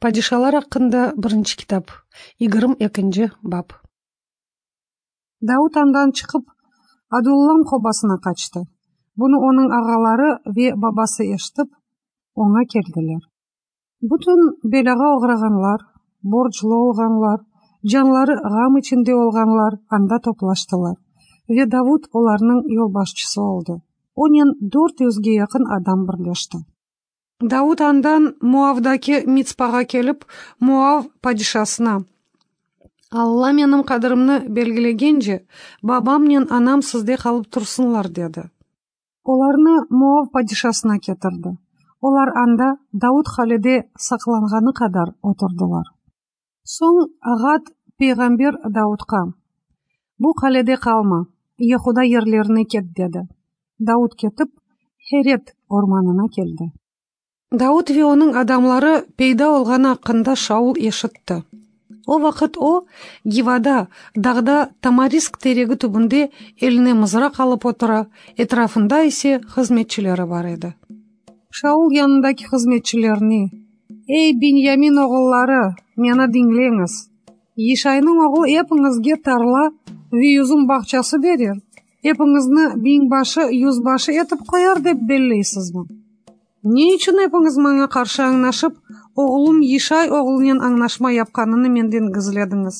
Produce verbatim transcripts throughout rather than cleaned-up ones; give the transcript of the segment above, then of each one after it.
Padişalar aqqında birinci kitap, yigirmi ekinci bap. Davut andan çıqıp, Adullam qobasına qaçtı. Bunı onıñ ağaları ve babası eşitip, oña keldiler. Bütün belâğa oğrağanlar, borclu olğanlar, canları ğam içinde olğanlar anda toplaştılar, ve Davut olarnıñ yolbaşçısı oldı. Onen dört yüzge yaqın adam birleşti. Davut andan Moavdaki Mitspağa kelip, Moav padişasına: Alla menim qadrimni belgilegence, babamnen anam sizde qalıp tursınlar, dedi. Olarnı Moav padişasına ketirdi. Olar anda Davut qalede saqlanğanı qadar oturdılar. Soñ Ğad peyğamber Davutqa: Bu qalede qalma, Yehuda yerlerine ket, dedi. Davut ketip, Heret ormanına keldi. Davut ve onıñ adamları peyda olğanı aqqında Şaul eşitti. O vaqıt o, Givada, dağda tamarisk teregi tübünde eline mızraq alıp otura, etrafında ise hızmetçileri bar edi. Şaul yanındaki hızmetçilerine: Ey, Binyamin oğulları, meni diñleñiz! Yişaynıñ oğlu epiñizge tarla ve yüzüm bağçası berer, epiñizni biñbaşı, yüzbaşı etip qoyar dep belleysizmi? Ne içün epiñiz maña qarşı añlaşıp, oğlum Yişay oğlunen añlaşma yapqanını menden gizlediñiz?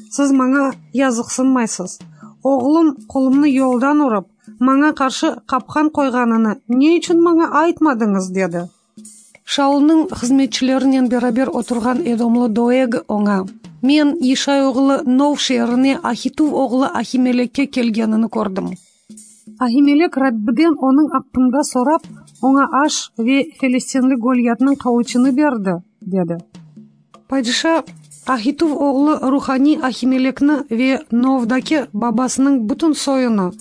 Siz maña yazıqsınmaysız. Oğlum qolumnı yoldan urıp, maña qarşı qapqan qoyğanını ne içün maña aytmadıñız? Dedi. Şaulnıñ hızmetçilerinen beraber oturğan edomlı Doeg oña: Men Yişay oğlu Nov şeerine Ahituv oğlu Ahimelekke kelgenini kördim. Ahimelek Rabbiden onıñ aqqında sorap, oña aş ve felistinli Golyatnıñ qılıçını berdi, dedi. Padişa Ahituv oğlu ruhaniy Ahimelekni ve Novdaki babasınıñ bütün soyunı,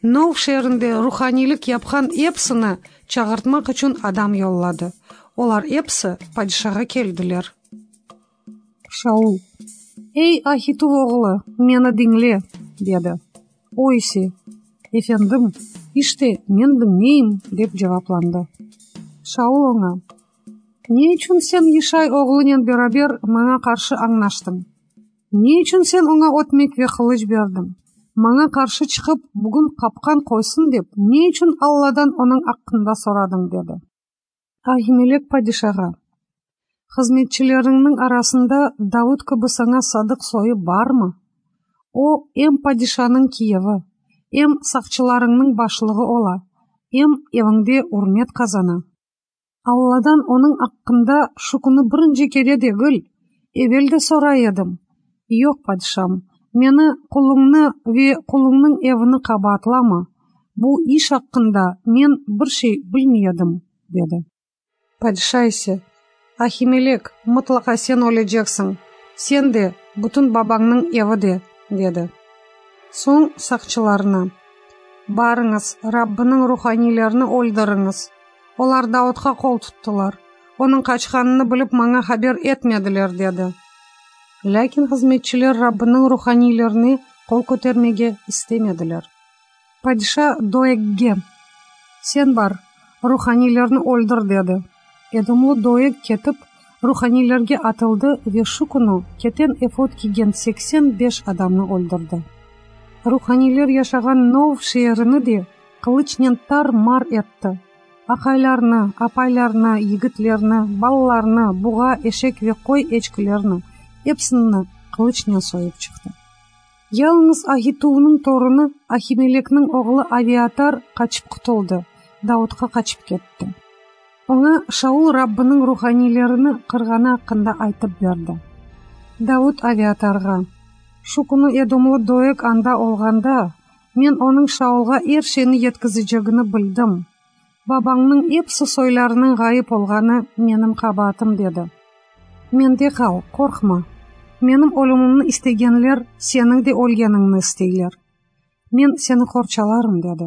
Nov şeerinde ruhaniylik yapqan episini çağırtmaq içün adam yolladı. Olar episi padişağa keldiler. Şaul: Ey, Ahituv oğlu, meni diñle, dedi. O ise: Efendim, işte, men diñleyim, dep cevaplandı. Şaul oña: Ne içün sen Yişay oğlunen beraber maña qarşı añlaştıñ? Ne içün sen oña ötmek ve qılıç berdiñ? Maña qarşı çıqıp, bugün qapqan qoysın dep, ne içün Alladan onıñ aqqında soradıñ? Dedi. Ahimelek padişağa: Hızmetçileriñniñ arasında Davut kibi saña sadıq soyu barmı? O, em padişanıñ kiyevi, em saqçılarıñnıñ başlığı ola, em eviñde ürmet qazana. Alladan onıñ aqqında şu künü birinci kere degil, evel de soray edim. Yoq, padişam, meni, quluñnı ve quluñnıñ evini qabaatlama, bu iş aqqında men bir şey bilmey edim, dedi. Padişa ise: Ahimelek, mıtlaqa sen öleceksiñ, sen de, bütün babañnıñ evi de, dedi. Soñ saqçılarına: Barıñız, Rabbiniñ ruhaniylerini öldüriñiz. Olar Davutqa qol tuttılar, onıñ qaçqanını bilip maña haber etmediler, dedi. Lâkin hızmetçiler Rabbiniñ ruhaniylerine qol kötermege istemediler. Padişa Doegge: Sen bar, ruhaniylerni öldür, dedi. Edomlı Doeg ketip, ruhaniylerge atıldı ve şu künü keten efod kiygen seksen beş adamnı öldürdi. Ruhaniyler yaşağan Nov şeerini de qılıçnen tar-mar etti. Aqaylarnı, apaylarnı, yigitlerni, balalarnı, buğa, eşek ve qoy eçkilerni, episini qılıçnen soyıp çıqtı. Yalıñız Ahituvnıñ torunı Ahimelekniñ oğlu Aviatar qaçıp qutuldı, Davutqa qaçıp ketti. Oña Şaul Rabbiniñ ruhaniylerini qırğanı aqqında aytıp berdi. Davut Aviatarğa: Şu künü edomlı Doeg anda olğanda, men onıñ Şaulğa er şeyni yetkizecegini bildim. Babañnıñ episi soylarınıñ ğayıp olğanı menim qabaatım, dedi. Mende qal, qorqma. Menim ölümimni istegenler seniñ de ölgeniñni isteyler. Men seni qorçalarım, dedi.